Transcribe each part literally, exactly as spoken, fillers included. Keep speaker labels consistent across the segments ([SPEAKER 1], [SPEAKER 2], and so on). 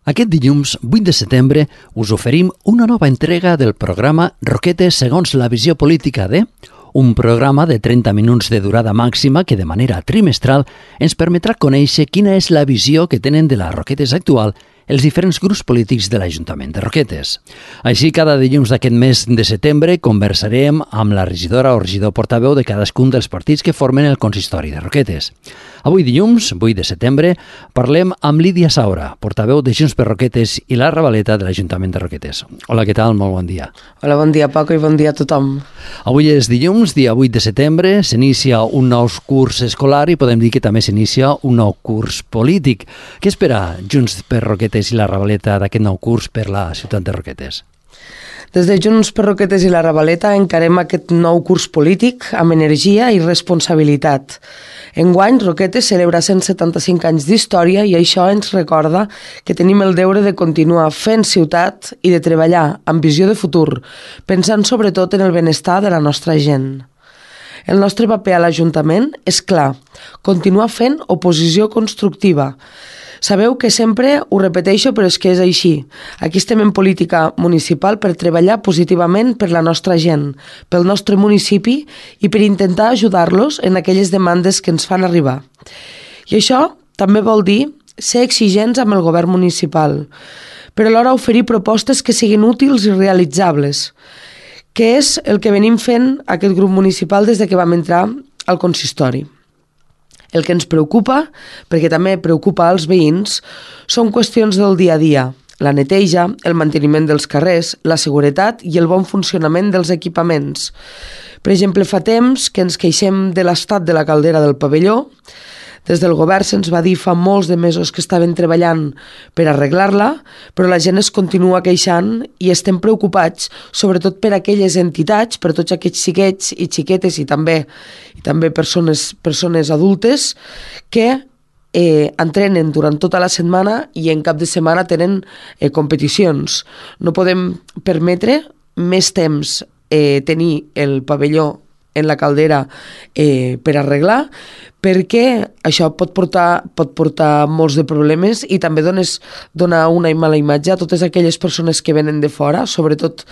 [SPEAKER 1] Aquest dilluns, vuit de setembre, us oferim una nova entrega del programa Roquetes segons la visió política de... un programa de trenta minuts de durada màxima que de manera trimestral ens permetrà conèixer quina és la visió que tenen de la Roquetes actual els diferents grups polítics de l'Ajuntament de Roquetes. Així, cada dilluns d'aquest mes de setembre conversarem amb la regidora o regidor portaveu de cadascun dels partits que formen el consistori de Roquetes. Avui dilluns, vuit de setembre, parlem amb Lídia Saura, portaveu de Junts per Roquetes i la Ravaleta de l'Ajuntament de Roquetes. Hola, què tal? Molt bon dia.
[SPEAKER 2] Hola, bon dia, Paco, i bon dia a tothom.
[SPEAKER 1] Avui és dilluns, dia vuit de setembre, s'inicia un nou curs escolar i podem dir que també s'inicia un nou curs polític. Què espera Junts per Roquetes i la Ravaleta d'aquest nou curs per la ciutat de Roquetes?
[SPEAKER 2] Des de Junts per Roquetes i la Ravaleta encarem aquest nou curs polític amb energia i responsabilitat. Enguany, Roquetes celebra cent setanta-cinc anys d'història i això ens recorda que tenim el deure de continuar fent ciutat i de treballar amb visió de futur, pensant sobretot en el benestar de la nostra gent. El nostre paper a l'Ajuntament és clar, continuar fent oposició constructiva. Sabeu que sempre ho repeteixo, però és que és així. Aquí estem en política municipal per treballar positivament per la nostra gent, pel nostre municipi i per intentar ajudar-los en aquelles demandes que ens fan arribar. I això també vol dir ser exigents amb el govern municipal, però alhora oferir propostes que siguin útils i realitzables, que és el que venim fent aquest grup municipal des de que vam entrar al consistori. El que ens preocupa, perquè també preocupa als veïns, són qüestions del dia a dia, la neteja, el manteniment dels carrers, la seguretat i el bon funcionament dels equipaments. Per exemple, fa temps que ens queixem de l'estat de la caldera del pavelló. Des del govern se'ns va dir fa molts de mesos que estaven treballant per arreglar-la, però la gent es continua queixant i estem preocupats, sobretot per aquelles entitats, per tots aquests xiquets i xiquetes i també, i també persones, persones adultes que eh, entrenen durant tota la setmana i en cap de setmana tenen eh, competicions. No podem permetre més temps eh, tenir el pavelló en la caldera eh, per arreglar, perquè això pot portar, pot portar molts de problemes i també dones, donar una mala imatge a totes aquelles persones que venen de fora, sobretot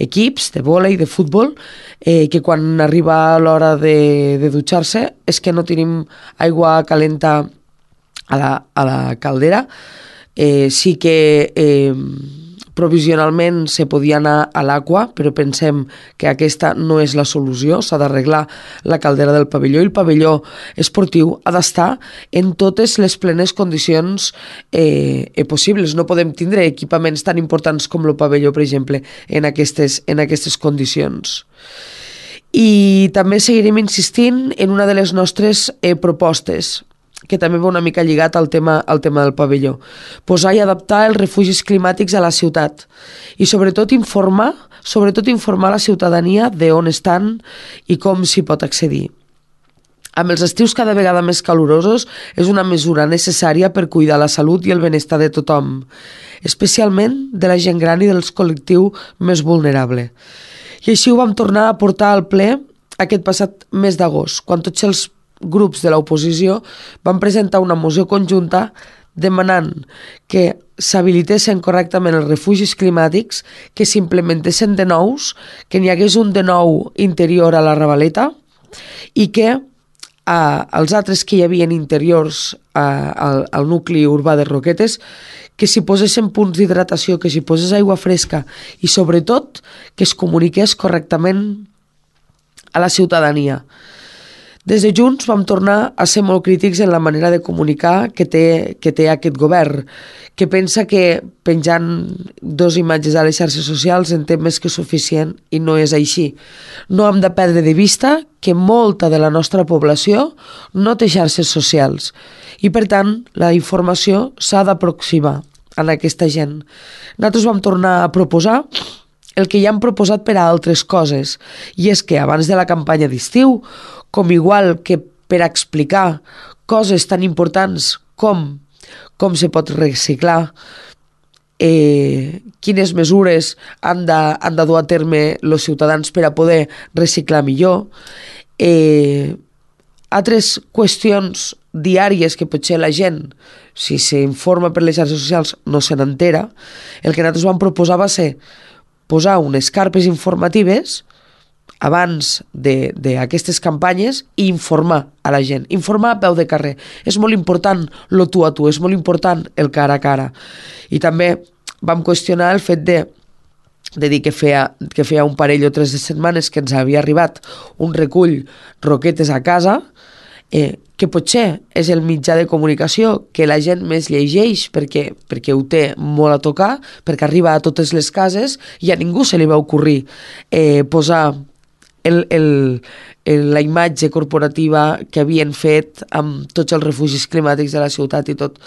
[SPEAKER 2] equips de vòlei, de futbol, eh, que quan arriba l'hora de, de dutxar-se és que no tenim aigua calenta a la, a la caldera. Eh, sí que... Eh, provisionalment se podia anar a l'aigua, però pensem que aquesta no és la solució, s'ha d'arreglar la caldera del pavelló i el pavelló esportiu ha d'estar en totes les plenes condicions eh, possibles. No podem tindre equipaments tan importants com el pavelló, per exemple, en aquestes, en aquestes condicions. I també seguirem insistint en una de les nostres eh, propostes, que també va una mica lligat al tema, al tema del pavelló. Posar i adaptar els refugis climàtics a la ciutat i sobretot informar, sobretot informar la ciutadania de on estan i com s'hi pot accedir. Amb els estius cada vegada més calorosos és una mesura necessària per cuidar la salut i el benestar de tothom, especialment de la gent gran i dels col·lectius més vulnerables. I així ho vam tornar a portar al ple aquest passat mes d'agost, quan tots els grups de l'oposició van presentar una moció conjunta demanant que s'habilitessin correctament els refugis climàtics, que s'implementessin de nous, que n'hi hagués un de nou interior a la Ravaleta i que a, als altres que hi havia interiors a, al, al nucli urbà de Roquetes, que s'hi posessin punts d'hidratació, que s'hi posés aigua fresca i sobretot que es comuniqués correctament a la ciutadania. Des de Junts vam tornar a ser molt crítics en la manera de comunicar que té, que té aquest govern, que pensa que penjant dos imatges a les xarxes socials en té més que suficient i no és així. No hem de perdre de vista que molta de la nostra població no té xarxes socials i, per tant, la informació s'ha d'aproximar a aquesta gent. Nosaltres vam tornar a proposar el que ja han proposat per a altres coses, i és que abans de la campanya d'estiu, com igual que per explicar coses tan importants com com se pot reciclar, eh, quines mesures han de, han de dur a terme els ciutadans per a poder reciclar millor, eh, altres qüestions diàries que potser la gent, si s'informa per les xarxes socials, no se n'entera, el que nosaltres vam proposar va ser posar unes carpes informatives abans d'aquestes campanyes i informar a la gent, informar a peu de carrer. És molt important lo tu a tu, és molt important el cara a cara. I també vam qüestionar el fet de, de dir que feia, que feia un parell o tres de setmanes que ens havia arribat un recull Roquetes a casa, eh, que potser és el mitjà de comunicació que la gent més llegeix perquè, perquè ho té molt a tocar, perquè arriba a totes les cases i a ningú se li va ocorrir eh, posar el, el, el, la imatge corporativa que havien fet amb tots els refugis climàtics de la ciutat i tot.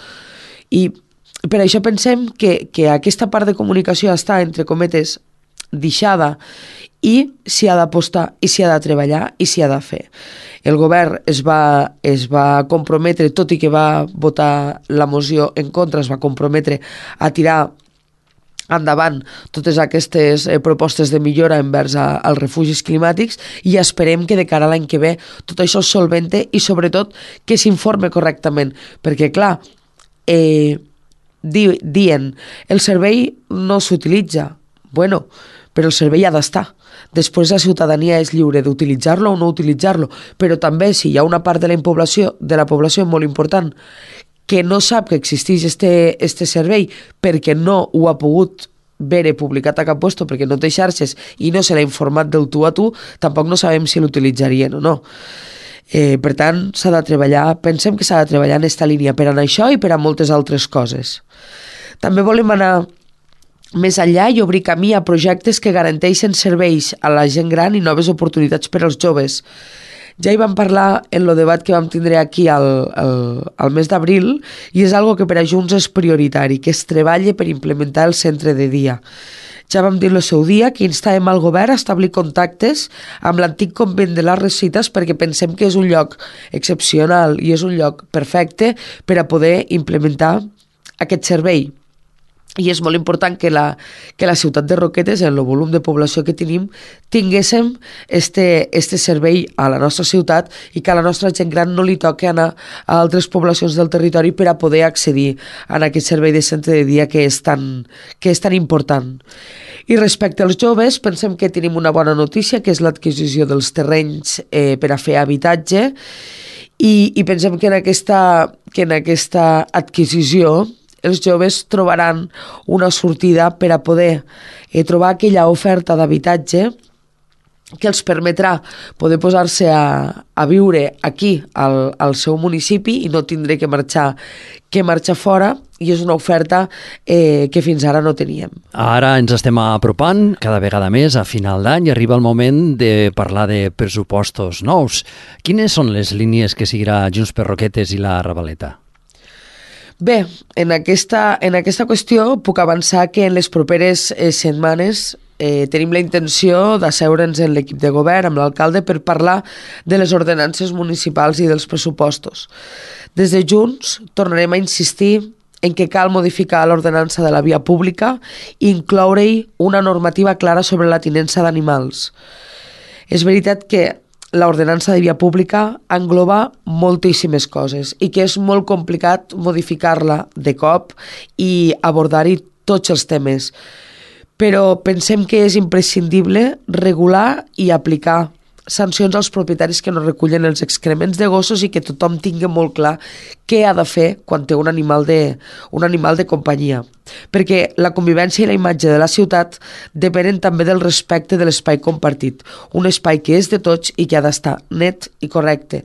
[SPEAKER 2] I per això pensem que, que aquesta part de comunicació està, entre cometes, deixada i s'hi ha d'apostar i s'hi ha de treballar i s'hi ha de fer. El govern es va, es va comprometre, tot i que va votar la moció en contra, es va comprometre a tirar endavant totes aquestes eh, propostes de millora envers a, als refugis climàtics i esperem que de cara a l'any que ve tot això es solvente i sobretot que s'informe correctament, perquè clar, eh, di, dient el servei no s'utilitza, bueno, però el servei ha d'estar. Després la ciutadania és lliure d'utilitzar-lo o no utilitzar-lo, però també si hi ha una part de la població, de la població molt important que no sap que existeix este, este servei perquè no ho ha pogut veure publicat a cap lloc, perquè no té xarxes i no se l'ha informat del tu a tu, tampoc no sabem si l'utilitzarien o no. Eh, per tant, s'ha de treballar, pensem que s'ha de treballar en aquesta línia per a això i per a moltes altres coses. També volem anar més enllà i obrir camí a projectes que garanteixen serveis a la gent gran i noves oportunitats per als joves. Ja hi vam parlar en el debat que vam tindre aquí al, al, al mes d'abril i és algo que per a Junts és prioritari, que es treballi per implementar el centre de dia. Ja vam dir el seu dia que instàvem al govern a establir contactes amb l'antic convent de les Resites perquè pensem que és un lloc excepcional i és un lloc perfecte per a poder implementar aquest servei. I és molt important que la, que la ciutat de Roquetes, en el volum de població que tenim, tinguéssim este, este servei a la nostra ciutat i que a la nostra gent gran no li toqui anar a altres poblacions del territori per a poder accedir a aquest servei de centre de dia que és tan, que és tan important. I respecte als joves, pensem que tenim una bona notícia, que és l'adquisició dels terrenys eh, per a fer habitatge i, i pensem que en aquesta, que en aquesta adquisició els joves trobaran una sortida per a poder eh, trobar aquella oferta d'habitatge que els permetrà poder posar-se a, a viure aquí, al, al seu municipi, i no tindré que marxar, que marxar fora, i és una oferta eh, que fins ara no teníem.
[SPEAKER 1] Ara ens estem apropant cada vegada més a final d'any i arriba el moment de parlar de pressupostos nous. Quines són les línies que seguirà Junts per Roquetes i la Ravaleta?
[SPEAKER 2] Bé, en aquesta, en aquesta qüestió puc avançar que en les properes eh, setmanes eh, tenim la intenció d'asseure'ns en l'equip de govern amb l'alcalde per parlar de les ordenances municipals i dels pressupostos. Des de Junts tornarem a insistir en què cal modificar l'ordenança de la via pública i incloure-hi una normativa clara sobre la tinença d'animals. És veritat que l'ordenança de via pública engloba moltíssimes coses i que és molt complicat modificar-la de cop i abordar-hi tots els temes. Però pensem que és imprescindible regular i aplicar sancions als propietaris que no recullen els excrements de gossos i que tothom tingui molt clar què ha de fer quan té un animal de, un animal de companyia. Perquè la convivència i la imatge de la ciutat depenen també del respecte de l'espai compartit, un espai que és de tots i que ha d'estar net i correcte.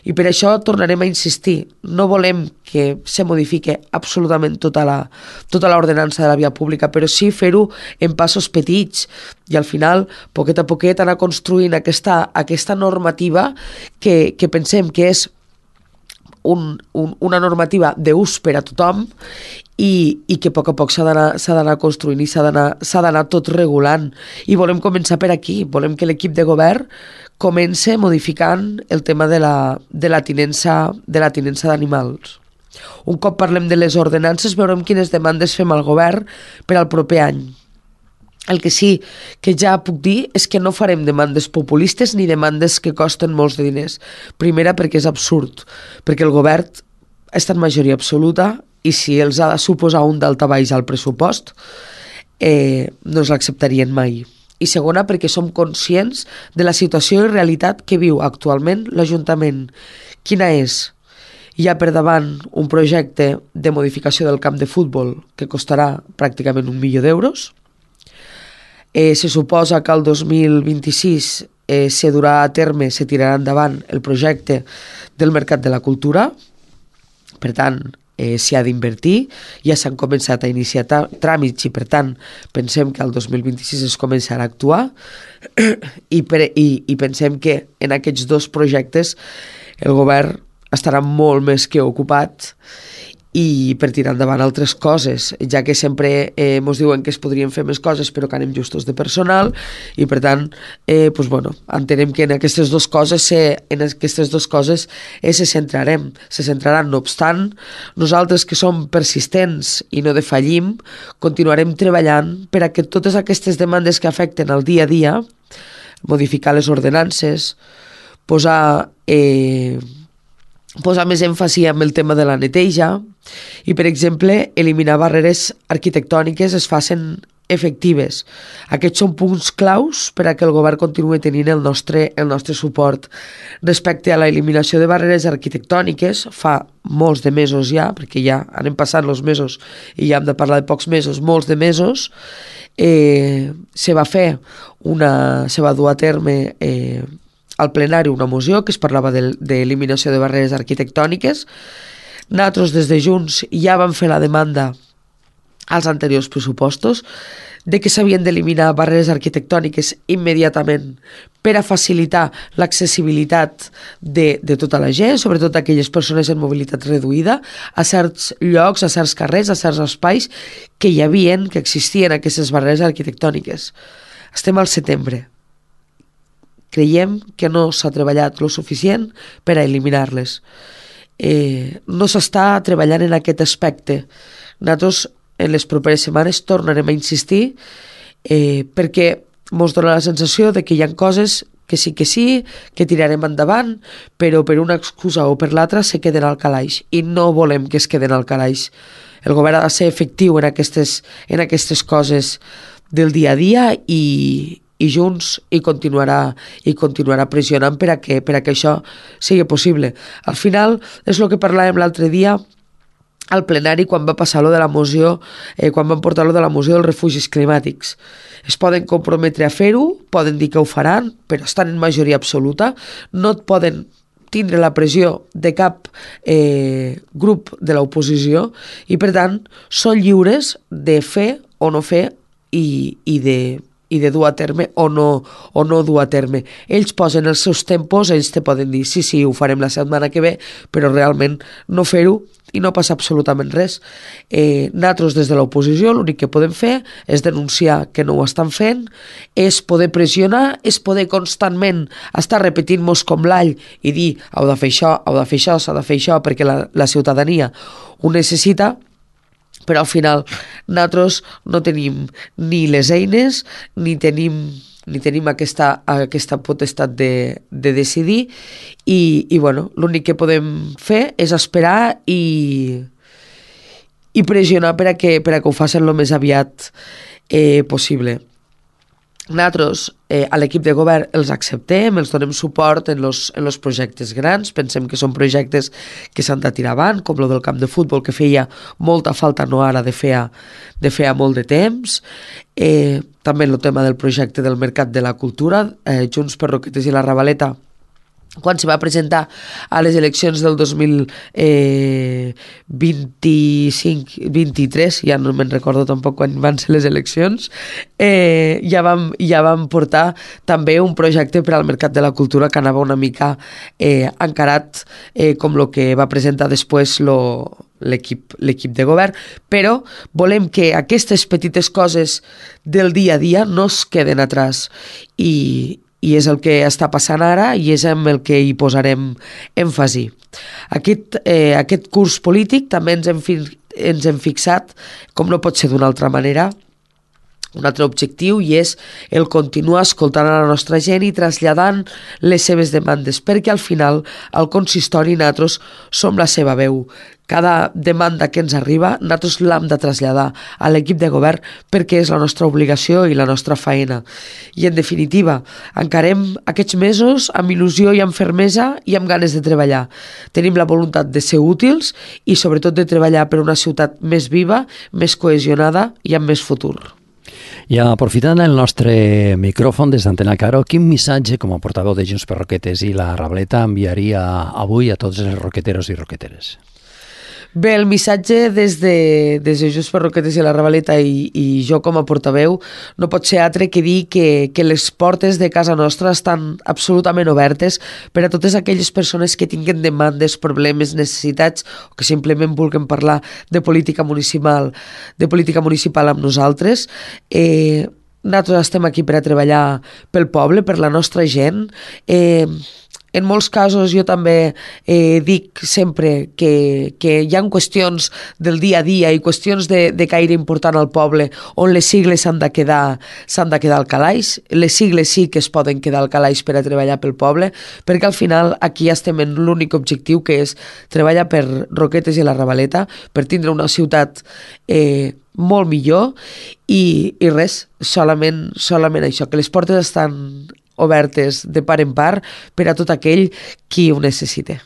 [SPEAKER 2] I per això tornarem a insistir, no volem que se modifique absolutament tota la, tota l'ordenança de la via pública, però sí fer-ho en passos petits i al final, poquet a poquet, anar construint aquesta, aquesta normativa que, que pensem que és un, un, una normativa d'ús per a tothom i, i que a poc a poc s'ha d'anar, s'ha d'anar construint i s'ha d'anar, s'ha d'anar tot regulant. I volem començar per aquí, volem que l'equip de govern comence modificant el tema de la, de la tinença, de la tinença d'animals. Un cop parlem de les ordenances, veurem quines demandes fem al govern per al proper any. El que sí que ja puc dir és que no farem demandes populistes ni demandes que costen molts de diners. Primera, perquè és absurd, perquè el govern està en majoria absoluta i si els ha de suposar un daltabaix al pressupost, eh, no els l'acceptarien mai. I segona, perquè som conscients de la situació i realitat que viu actualment l'Ajuntament. Quina és? Hi ha per davant un projecte de modificació del camp de futbol que costarà pràcticament un milió d'euros. Eh, se suposa que el dos mil vint-i-sis eh, se durà a terme, se tirarà endavant el projecte del Mercat de la Cultura. Per tant, eh, s'hi ha d'invertir. Ja s'han començat a iniciar tràmits i, per tant, pensem que el dos mil vint-i-sis es començarà a actuar I, per, i, i pensem que en aquests dos projectes el govern estarà molt més que ocupat i per tirar endavant altres coses, ja que sempre eh, ens diuen que es podrien fer més coses però que anem justos de personal i per tant eh, pues, bueno, entenem que en aquestes dues coses se, en aquestes dues coses eh, se centrarem, se centraran. No obstant, nosaltres que som persistents i no defallim, continuarem treballant per a que totes aquestes demandes que afecten el dia a dia, modificar les ordenances, posar eh, posar més èmfasi en el tema de la neteja i, per exemple, eliminar barreres arquitectòniques es facin efectives. Aquests són punts claus per a que el govern continuï tenint el nostre, el nostre suport. Respecte a l'eliminació de barreres arquitectòniques, fa molts de mesos ja, perquè ja anem passant els mesos i ja hem de parlar de pocs mesos, molts de mesos, eh, se va fer una, se va dur a terme eh, al plenari una moció que es parlava d'eliminació de, de barreres arquitectòniques. Nosaltres des de Junts ja vam fer la demanda als anteriors pressupostos de que s'havien d'eliminar barreres arquitectòniques immediatament per a facilitar l'accessibilitat de, de tota la gent, sobretot aquelles persones en mobilitat reduïda, a certs llocs, a certs carrers, a certs espais que hi havien, que existien aquestes barreres arquitectòniques. Estem al setembre. Creiem que no s'ha treballat lo suficient per a eliminar-les. Eh, no s'està treballant en aquest aspecte. Nosaltres en les properes setmanes tornarem a insistir eh, perquè ens dona la sensació de que hi ha coses que sí que sí, que tirarem endavant, però per una excusa o per l'altra se queden al calaix i no volem que es queden al calaix. El govern ha de ser efectiu en aquestes, en aquestes coses del dia a dia i i Junts i continuarà, i continuarà pressionant per a, que, per a que això sigui possible. Al final, és el que parlàvem l'altre dia al plenari quan va passar lo de la moció, eh, quan van portar lo de la moció dels refugis climàtics. Es poden comprometre a fer-ho, poden dir que ho faran, però estan en majoria absoluta, no et poden tindre la pressió de cap eh, grup de l'oposició i, per tant, són lliures de fer o no fer i, i de i de dur a terme o no, o no dur a terme. Ells posen els seus tempos, ells te poden dir sí, sí, ho farem la setmana que ve, però realment no fer-ho i no passa absolutament res. Eh, nosaltres des de l'oposició l'únic que podem fer és denunciar que no ho estan fent, és poder pressionar, és poder constantment estar repetint-nos com l'all i dir heu de fer això, heu de fer això, s'ha de fer això perquè la, la ciutadania ho necessita, però al final nosaltres no tenim ni les eines ni tenim, ni tenim aquesta, aquesta potestat de, de decidir i, i bueno, l'únic que podem fer és esperar i, i pressionar per a que, per a que ho facin el més aviat eh, possible. Nosaltres eh, a l'equip de govern els acceptem, els donem suport en los, en los projectes grans, pensem que són projectes que s'han de tirar avant, com el del camp de futbol que feia molta falta no ara de fer, de fer molt de temps, eh, també el tema del projecte del Mercat de la Cultura, eh, Junts per Roquetes i la Ravaleta, quan se va presentar a les eleccions del dos mil vint-i-cinc vint-i-tres, ja no me'n recordo tampoc quan van ser les eleccions, eh, ja, vam, ja vam portar també un projecte per al Mercat de la Cultura que anava una mica eh, encarat eh, com el que va presentar després lo, l'equip, l'equip de govern, però volem que aquestes petites coses del dia a dia no es queden atrás i i és el que està passant ara i és amb el que hi posarem èmfasi. Aquest, eh, aquest curs polític també ens hem, fi, ens hem fixat, com no pot ser d'una altra manera, un altre objectiu, i és el continuar escoltant a la nostra gent i traslladant les seves demandes, perquè al final al consistori nosaltres som la seva veu. Cada demanda que ens arriba nosaltres l'hem de traslladar a l'equip de govern perquè és la nostra obligació i la nostra feina. I en definitiva, encarem aquests mesos amb il·lusió i amb fermesa i amb ganes de treballar. Tenim la voluntat de ser útils i sobretot de treballar per una ciutat més viva, més cohesionada i amb més futur.
[SPEAKER 1] I aprofitant el nostre micròfon des d'Antena Caro, quin missatge com a portaveu de Junts per Roquetes i la Ravaleta enviaria avui a tots els roqueteros i roqueteres?
[SPEAKER 2] Bé, el missatge des de, des de Junts per Roquetes i la Ravaleta i, i jo com a portaveu no pot ser altre que dir que, que les portes de casa nostra estan absolutament obertes per a totes aquelles persones que tinguen demandes, problemes, necessitats o que simplement vulguin parlar de política municipal, de política municipal amb nosaltres. Eh, nosaltres estem aquí per a treballar pel poble, per la nostra gent. Eh, En molts casos jo també eh, dic sempre que, que hi ha qüestions del dia a dia i qüestions de, de caire important al poble on les sigles s'han de quedar s'han de quedar al calaix. Les sigles sí que es poden quedar al calaix per a treballar pel poble, perquè al final aquí estem en l'únic objectiu, que és treballar per Roquetes i la Ravaleta, per tindre una ciutat eh, molt millor i, i res, solament, solament això, que les portes estan obertes de part en part per a tot aquell qui ho necessite.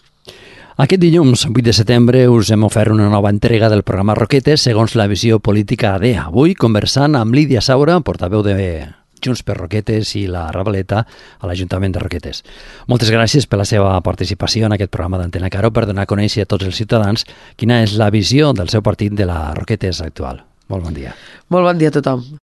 [SPEAKER 1] Aquest dilluns, vuit de setembre, us hem ofert una nova entrega del programa Roquetes segons la visió política A D. Avui conversant amb Lídia Saura, portaveu de Junts per Roquetes i la Ravaleta a l'Ajuntament de Roquetes. Moltes gràcies per la seva participació en aquest programa d'Antena Caro per donar a conèixer a tots els ciutadans quina és la visió del seu partit de la Roquetes actual. Molt bon dia.
[SPEAKER 2] Molt bon dia a tothom.